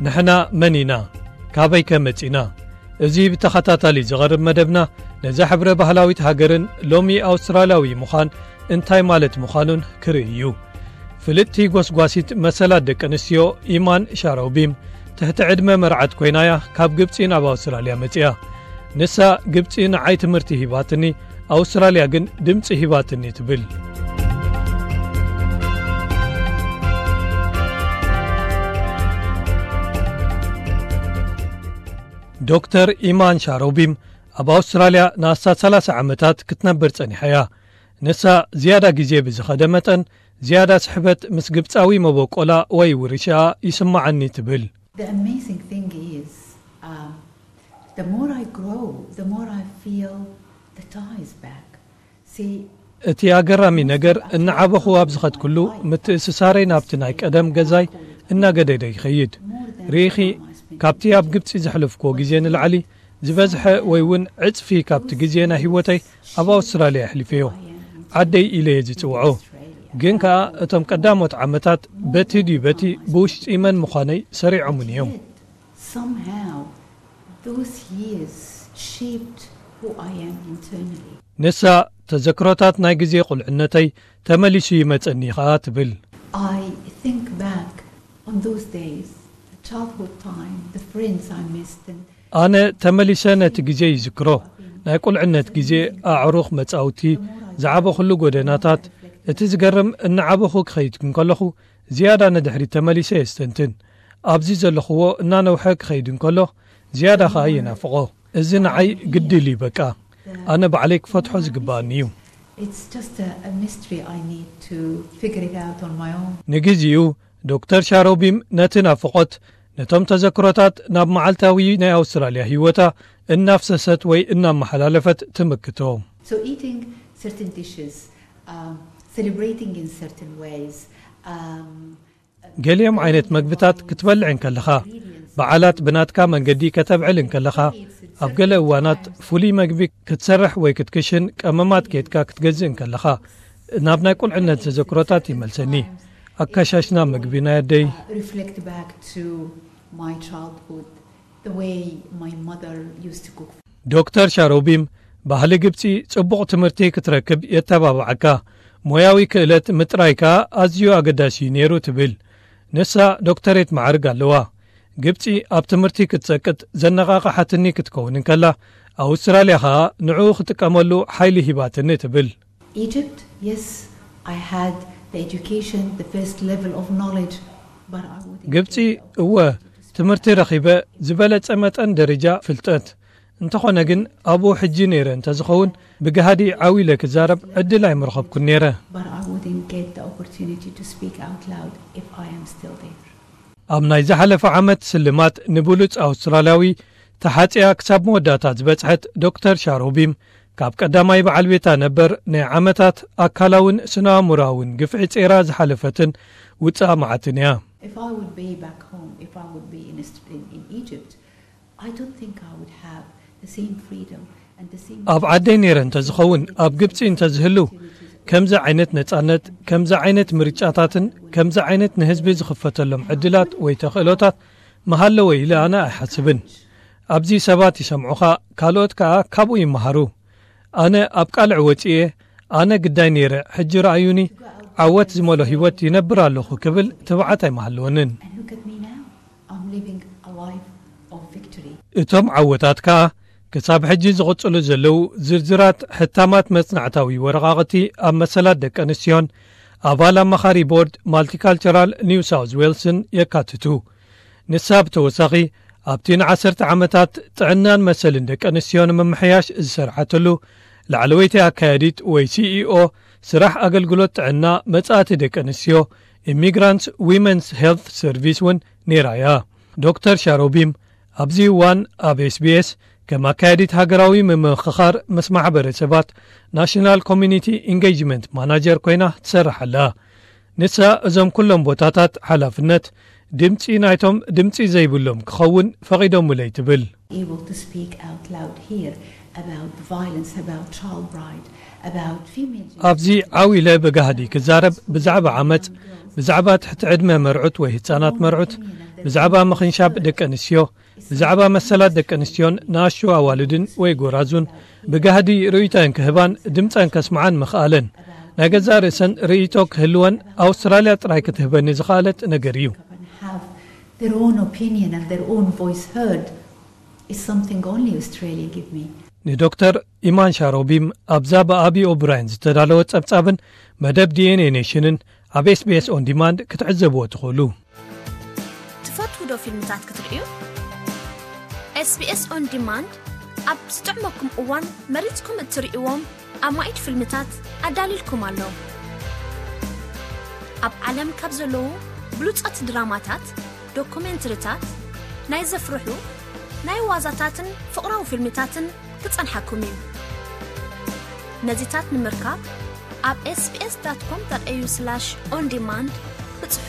ንሕና መን ኢና? ካበይ ከ መጺና? እዚ ብተኸታታሊ ዝቐርብ መደብና፣ ነዛ ሕብረ ባህላዊት ሃገርን ሎሚ ኣውስትራልያዊ ምዃን እንታይ ማለት ምዃኑን ክርኢ እዩ። ፍልጥቲ ጎስጓሲት መሰላት ደቂ ኣንስትዮ ኢማን ሻሮቢም፣ ትሕቲ ዕድመ መርዓት ኮይናያ ካብ ግብጺ ናብ ኣውስትራልያ መጺኣ። ንሳ፣ "ግብጺ ንዓይ ትምህርቲ ሂባትኒ፣ ኣውስትራልያ ግን ድምጺ ሂባትኒ" ትብል። ዶክተር ኢማን ሻሮቢም ኣብ ኣውስትራልያ ንኣስታት ሰላሳ ዓመታት ክትነብር ጸኒሓ እያ። ንሳ፣ ዝያዳ ግዜ ብዝኸደ መጠን፣ ዝያዳ ስሕበት ምስ ግብጻዊ መበቆላ ወይ ውርሻ ይስማዓኒ ትብል። The amazing thing is, um, the more I grow, the more I feel the ties back. See, እቲ ኣገራሚ ነገር፣ እናዓበኹ ኣብ ዝኸድኩሉ፣ ምትእስሳረይ ናብቲ ናይ ቀደም ገዛይ እናገደደ ይኸይድ። ርኢኺ፣ ካብቲ ኣብ ግብጺ ዘሕለፍክዎ ግዜ ንላዕሊ ዝበዝሐ ወይ እውን ዕጽፊ ካብቲ ግዜ ናይ ህይወተይ ኣብ ኣውስትራልያ ኣሕሊፈዮ። ዓደይ ኢለ እየ ዝጽውዖ። ግን ከኣ እቶም ቀዳሞት ዓመታት በቲ ድዩ በቲ ብውሽጢ መን ምዃነይ ሰሪዖሙኒ እዮም። Somehow, those years shaped who I am internally. ንሳ፣ "ተዘክሮታት ናይ ግዜ ቁልዕነተይ ተመሊሱ ይመጸኒ" ኸኣ ትብል። I think back on those days, the childhood time, the friends I missed, and ኣነ ተመሊሰ ነቲ ግዜ ይዝክሮ። ናይ ቁልዕነት ግዜ፣ ኣዕሩኽ፣ መጻውቲ፣ ዝዓበኹሉ ጎደናታት። እቲ ዝገርም፣ እናዓበኹ ክኸይድ እንከለኹ፣ ዝያዳ ንድሕሪት ተመሊሰ የስተንትን። ኣብዚ ዘለኹዎ እናነውሐ ክኸይድ እንከሎ፣ ዝያዳ ኸኣ የናፍቖ። እዚ ንዓይ ግድል እዩ በቃ። ኣነ ባዕለይ ክፈትሖ ዝግባኣኒ እዩ። It's just a, a mystery. I need to figure it out on my own. ንግዜኡ፣ ዶክተር ሻሮቢም ነቲ ናፍቖት፣ ነቶም ተዘክሮታት ናብ መዓልታዊ ናይ ኣውስትራልያ ህይወታ እናፍሰሰት ወይ እናመሓላለፈት ትምክቶ። So eating certain dishes, um, celebrating in certain ways, um, ገሊኦም ዓይነት መግብታት ክትበልዕ እንከለኻ፣ በዓላት ብናትካ መንገዲ ከተብዕል እንከለኻ፣ ኣብ ገለ እዋናት ፍሉይ መግቢ ክትሰርሕ ወይ ክትክሽን ቀመማት ኬድካ ክትገዝእ እንከለኻ፣ ናብ ናይ ቁልዕነት ተዘክሮታት ይመልሰኒ። ኣካሻሽና መግቢ ናይ ኣደይ። Reflect back to my childhood, the way my mother used to cook. ዶክተር ሻሮቢም፣ ባህሊ ግብጺ ጽቡቕ ትምህርቲ ክትረክብ የተባብዓካ። ሞያዊ ክእለት ምጥራይ ከኣ ኣዝዩ ኣገዳሲ እዩ ነይሩ ትብል። ንሳ ዶክተሬት ማዕርግ ኣለዋ። ግብጺ ኣብ ትምህርቲ ክትጸቅጥ ዘነቓቕሓትኒ ክትከውን እንከላ፣ ኣውስትራልያ ኸኣ ንዕኡ ክጥቀመሉ ሓይሊ ሂባትኒ ትብል። Egypt, yes, I had the education, the first level of knowledge, but I wouldn't ግብጺ፣ get the እወ፣ ትምህርቲ ረኺበ፣ ዝበለጸ መጠን ደረጃ ፍልጠት። እንተኾነ ግን፣ ኣብኡ ሕጂ ነይረ እንተዝኸውን፣ ብጋህዲ ዓው ኢለ ክዛረብ ዕድል ኣይምረኸብኩን ነይረ። But I wouldn't get the opportunity to speak out loud if I am still there. ኣብ ናይ ዝሓለፈ ዓመት ስልማት ንብሉጽ ኣውስትራልያዊ ተሓጽያ ክሳብ መወዳእታ ዝበጽሐት ዶክተር ሻሮቢም፣ ካብ ቀዳማይ በዓል ቤታ ነበር ናይ ዓመታት ኣካላውን ስነ-ኣእምሮኣውን ግፍዒ ጼራ ዝሓለፈትን ውጽኣ መዓትን እያ። If I would be back home, if I would be in, Est- in, in Egypt, I don't think I would have the same freedom and the same ኣብ ዓደይ ነይረ እንተዝኸውን፣ ኣብ ግብጺ እንተዝህሉ፣ ከምዚ ዓይነት ነጻነት፣ ከምዚ ዓይነት ምርጫታትን ከምዚ ዓይነት ንህዝቢ ዝኽፈተሎም ዕድላት ወይ ተኽእሎታት ምሃለወ ኢለ ኣነ ኣይሓስብን። ኣብዚ ሰባት ይሰምዑኻ፣ ካልኦት ከኣ ካብኡ ይመሃሩ። ኣነ ኣብ ቃልዕ ወጺኤ፣ ኣነ ግዳይ ነይረ፣ ሕጂ ረኣዩኒ፣ ዓወት ዝመሎ ህይወት ይነብር ኣለኹ ክብል ትብዓት ኣይምሃለወንን። And look at me now. I'm living a life of victory. እቶም ዓወታት ከኣ ክሳብ ሕጂ ዝቕጽሉ ዘለዉ ዝርዝራት ሕታማት መጽናዕታዊ ወረቓቕቲ ኣብ መሰላት ደቂ ኣንስትዮን ኣባል ኣማኻሪ ቦርድ ማልቲካልቸራል ኒው ሳውዝ ዌልስን የካትቱ። ንሳ ብተወሳኺ ኣብቲ ንዓሰርተ ዓመታት ጥዕናን መሰልን ደቂ ኣንስትዮ ንምምሕያሽ ዝሰርሓትሉ ላዕለወይቲ ኣካያዲት ወይ ሲኢኦ ስራሕ ኣገልግሎት ጥዕና መጻእቲ ደቂ ኣንስትዮ፣ ኢሚግራንትስ ዊመንስ ሄልት ሰርቪስ እውን ነይራ እያ። ዶክተር ሻሮቢም ኣብዚ እዋን ኣብ ኤስቢኤስ ከም ኣካያዲት ሃገራዊ ምምኽኻር ምስ ማሕበረሰባት፣ ናሽናል ኮሚኒቲ ኢንጌጅመንት ማናጀር፣ ኮይና ትሰርሕ ኣላ። ንሳ እዞም ኩሎም ቦታታት ሓላፍነት ድምጺ ናይቶም ድምጺ ዘይብሎም ክኸውን ፈቒዶምለይ ትብል። Able to speak out loud here about violence, about child bride, about female ኣብዚ ዓው ኢለ ብጋህዲ ክዛረብ ብዛዕባ ዓመጽ፣ ብዛዕባ ትሕቲ ዕድመ መርዑት ወይ ህጻናት መርዑት፣ ብዛዕባ ምኽንሻብ ደቂ ኣንስትዮ፣ ብዛዕባ መሰላት ደቂ ኣንስትዮን ንኣሽቱ ኣዋልድን ወይ ጎራዙን ብጋህዲ ርእይቶን ክህባን ድምፀን ከስምዓን ምኽኣለን፣ ናይ ገዛእ ርእሰን ርእይቶ ክህልወን ኣውስትራልያ ጥራይ ክትህበኒ ዝኸኣለት ነገር እዩ። Have their own opinion and their own voice heard is something only Australia give me. ንዶክተር ኢማን ሻሮቢም ኣብዛ ብኣቢ ኦብራይን ዝተዳለወ ጸብጻብን መደብ ዲኤንኤ ኔሽንን ኣብ ኤስቢኤስ ኦን ዲማንድ ክትዕዘብዎ ትኽእሉ። ትፈትዉ ዶ ፊልምታት ክትርእዩ? ኤስቢኤስ ኦን ዲማንድ ኣብ ዝጥዕመኩም እዋን መሪጽኩም እትርእይዎም ኣማኢት ፊልምታት ኣዳልይልኩም ኣሎ። ኣብ ዓለም ካብ ዘለዉ ብሉጻት ድራማታት፣ ዶኩሜንትሪታት፣ ናይ ዘፍርሑ፣ ናይ ዋዛታትን ፍቕራዊ ፊልምታትን ክጸንሓኩም እዩ። ነዚታት ንምርካብ ኣብ ኤስቢኤስ ዳት ኮም ዳት ኤዩ ስላሽ ኦን ዲማንድ ብጽሑ።